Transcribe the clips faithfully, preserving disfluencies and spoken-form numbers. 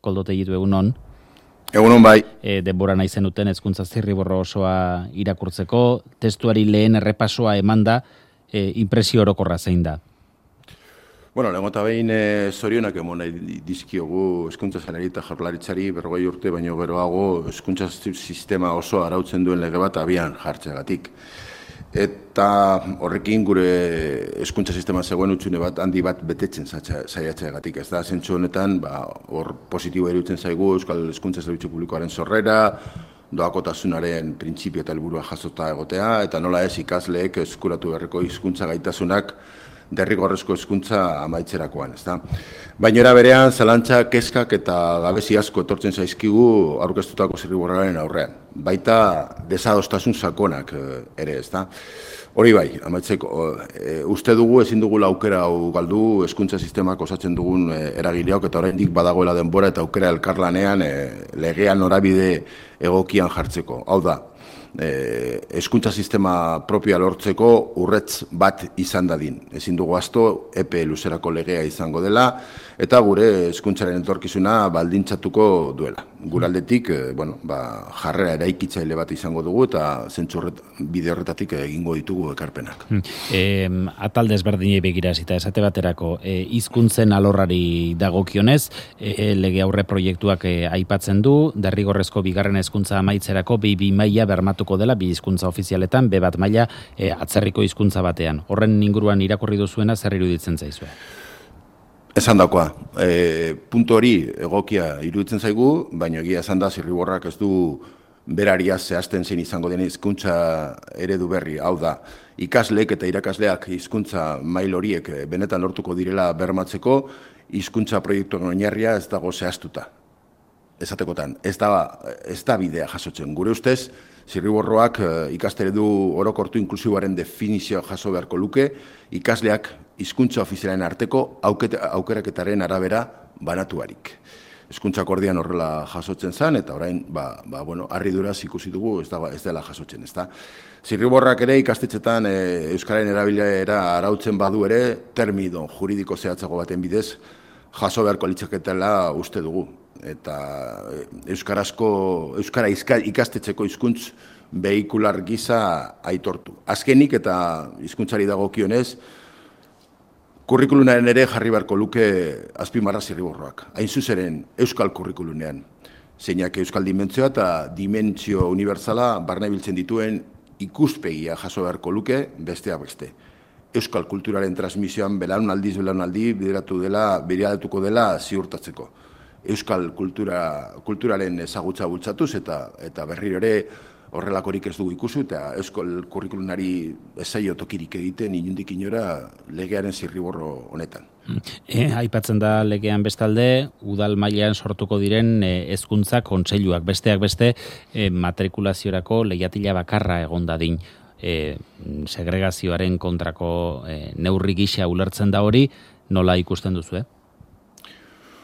Koldo Tellitu egunon. Egunon bai. E, denbora nahi zenuten hezkuntza zirriborro osoa irakurtzeko, testuari lehen errepasoa emanda, e, inpresio orokorra zein da? Bueno, lehenko eta behin e, zorionak emon nahi dizkiogu hezkuntza sailari eta jaurlaritzari berrogei urte baino geroago hezkuntza sistema oso arautzen duen lege bat abian jartzeagatik. Eta horrekin gure hezkuntza sistema zegoen utxune bat handi bat betetzen saiatzeagatik. Ez da, zentzu honetan, ba, hor positibo eruditzen zaigu Euskal Hezkuntza Zerbitzu Publikoaren sorrera, doakotasunaren printzipio eta helburua jasota egotea, eta nola ez ikasleek eskuratu beharreko hizkuntza gaitasunak derrigorrezko hezkuntza amaitzerakoan, ezta. Baina era berean zalantza, kezkak eta gabezi asko etortzen zaizkigu aurkeztutako zirriborroaren aurrean. Baita desadostasun sakonak ere, ezta. Hori bai, amaitzeko, e, uste dugu ezin dugu aukera hau galdu hezkuntza sistemak osatzen dugun e, eragileok eta oraindik badagoela denbora eta aukera elkarlanean e, legean norabide egokian jartzeko. Hau da, hezkuntza sistema propioa lortzeko urrets bat izan dadin. Ezin dugu asto epe luzerako legea izango dela eta gure hezkuntzaren etorkizuna baldintzatuko duela. Guraldetik, bueno, ba, jarrera eraikitzaile bat izango dugu eta zentzu bide horretatik egingo ditugu ekarpenak. E, atal desberdinei begira eta esate baterako e, hizkuntzen alorrari dagokionez, e, lege aurre proiektuak e, aipatzen du, derrigorrezko bigarren hezkuntza amaitzerako bi bi maila bermatuko dela bi hizkuntza ofizialetan, be bat maila e, atzerriko hizkuntza batean. Horren inguruan irakurri duzuena zer iruditzen zaizue? Esan dakoa, e, puntu hori egokia iruditzen zaigu, baina egia esan da zirriborrak ez du beraria zehazten zein izango den hizkuntza eredu berri. Hau da, ikasleek eta irakasleak hizkuntza mail horiek benetan lortuko direla bermatzeko, hizkuntza proiektuen oinarria ez dago zehaztuta. Esatekotan, ez da, ez da bidea jasotzen. Gure ustez, zirriborroak ikasteredu orokortu inklusiboaren definizioa jaso beharko luke, ikasleak hizkuntza ofizialen arteko aukeraketaren arabera banatuarik. Hezkuntza akordian horrela jasotzen zen, eta orain, ba, ba, bueno, harriduraz ikusi dugu ez, da, ez dela jasotzen, ez da. Zirriborrak ere ikastetxetan e, Euskararen erabilera arautzen badu ere, termino juridiko zehatzago baten bidez, jaso beharko litzaketela uste dugu. Eta euskarazko, euskara ikastetxeko hizkuntz behikular gisa aitortu. Azkenik eta hizkuntzari dagokionez, kurrikulunaren ere jarri beharko luke azpimarra zirriborroak. Hain zuzeren euskal kurrikulunean. Zeinak euskal dimentzioa eta dimentsio unibertsala barne biltzen dituen ikuspegia jaso beharko luke besteak beste. Euskal kulturaren transmisioan belaunaldiz belaunaldi bideratu dela, bideratuko dela ziurtatzeko. Euskal kultura, kulturaren ezagutza bultzatuz eta eta berriro ere horrelakorik ez dugu ikusi eta euskal kurrikulunari ezaio tokirik egiten inundik inora legearen zirriborro honetan. E, aipatzen da legean bestalde, udal mailan sortuko diren hezkuntza kontseiluak besteak beste e, matrikulaziorako leihatila bakarra egon dadin. E, segregazioaren kontrako e, neurri gisa ulertzen da hori, nola ikusten duzu, eh?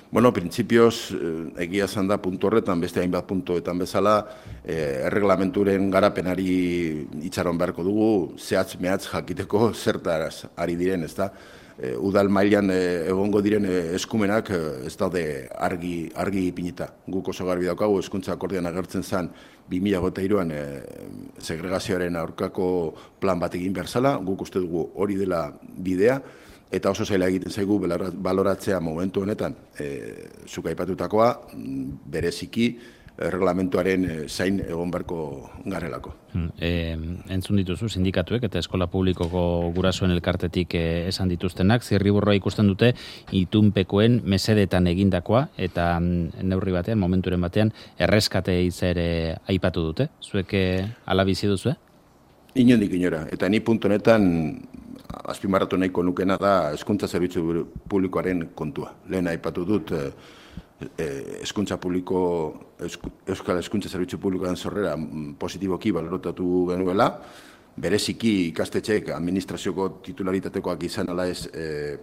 Bueno, printzipioz, egia esan da puntu horretan, beste hainbat puntuetan bezala, eh, erreglamenturen garapenari itxaron beharko dugu, zehatz mehatz jakiteko zertaraz ari diren, ez da? E, udal mailan e, egongo diren e, eskumenak e, ez daude argi, argi ipinita. Guk oso garbi daukagu, hezkuntza akordian agertzen zen bi mila hiruan e, segregazioaren aurkako plan bat egin behar zela, guk uste dugu hori dela bidea, eta oso zaila egiten zaigu baloratzea momentu honetan, e, zuk aipatutakoa, bereziki, erreglamentuaren zain egon beharko garelako. E, entzun dituzu sindikatuek eta eskola publikoko gurasoen elkartetik e, esan dituztenak, zirriborroa ikusten dute itunpekoen mesedetan egindakoa eta neurri batean, momenturen batean, erreskate hitza ere aipatu dute. Zuek hala bizi duzu, eh? Inondik inora, eta ni puntu honetan azpimarratu nahiko nukena da hezkuntza zerbitzu publikoaren kontua. Lehen aipatu dut hezkuntza publiko, Euskal Hezkuntza Zerbitzu Publikoaren sorrera positiboki baloratu genuela, bereziki ikastetxeek administrazioko titularitateko izan ala ez e,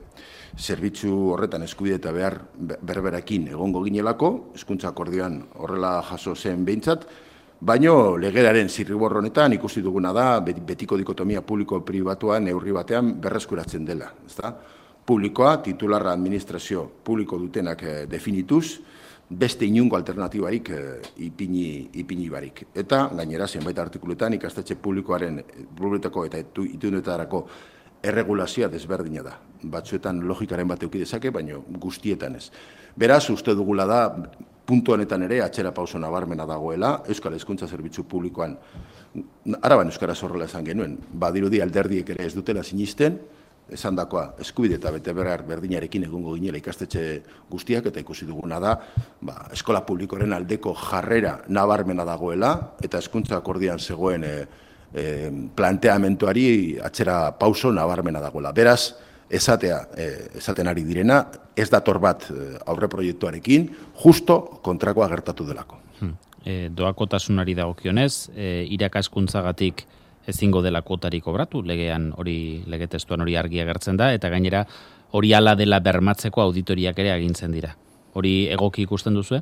zerbitzu horretan eskubide eta behar berberakin egongo ginelako, hezkuntza akordioan horrela jaso zen behintzat, baino legeraren zirriborro honetan ikusi duguna da betiko dikotomia publiko-pribatua neurri batean berreskuratzen dela, ezta? Publikoa, titularra administrazio publiko dutenak definituz, beste inungo alternatibarik e, ipini, ipini barik. Eta gainera zenbait artikuluetan ikastetxe publikoaren publikotako eta itunetarako erregulazioa desberdina da. Batzuetan logikaren bat eduki dezake, baina guztietan ez. Beraz, uste dugula da, puntu honetan ere, atxera pauso nabarmena dagoela, Euskal Hezkuntza Zerbitzu Publikoan, Araban euskaraz horrela esan genuen, badirudi alderdiek ere ez dutela sinisten, esan dakoa, eskubide eta bete behar berdinarekin egungo ginela ikastetxe guztiak, eta ikusi duguna da, ba, eskola publikoren aldeko jarrera nabarmena dagoela, eta hezkuntza akordian zegoen e, e, planteamentuari atxera pauso nabarmena dagoela. Beraz, esatea, e, esaten ari direna, ez dator bat aurre proiektuarekin, justo kontrakoa gertatu delako. Hmm. E, doakotasunari dagokionez, e, irakaskuntzagatik ezingo dela kuotarik kobratu, legean hori, lege testuan hori argi agertzen da, eta gainera hori hala dela bermatzeko auditoriak ere agintzen dira. Hori egoki ikusten duzu?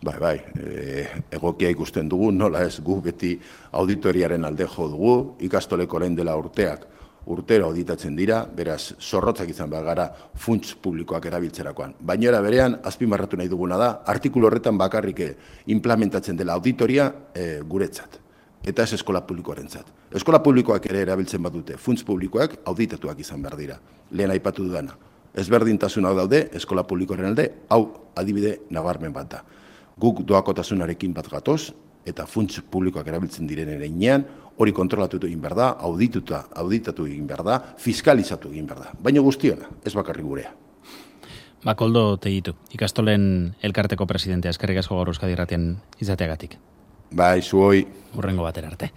Bai, bai, e, egokia ikusten dugu, nola ez, gu beti auditoriaren alde jo dugu, ikastoleko orain dela urteak, urtero auditatzen dira, beraz, zorrotzak izan behar gara funts publikoak erabiltzerakoan. Baina era berean, azpimarratu nahi duguna da, artikulu horretan bakarrik implementatzen dela auditoria e, guretzat. Eta ez eskola publikoarentzat. Eskola publikoak ere erabiltzen badute, funts publikoak auditatuak izan behar dira. Lehen aipatu dudana. Ezberdintasun hau daude, eskola publikoaren alde, hau adibide nabarmen bat da. Guk doakotasunarekin bat gatoz, eta funts publikoak erabiltzen direnen enean, hori kontrolatu egin behar da, audituta, auditatu egin behar da, fiskalizatu egin behar da. Baina guztiona, ez bakarrik gurea. Bakoldo Tegitu, ikastolen elkarteko presidentea, eskerrik asko gaur Euskadi Irratian izateagatik. Bai, zuoi. Hurrengo batera arte.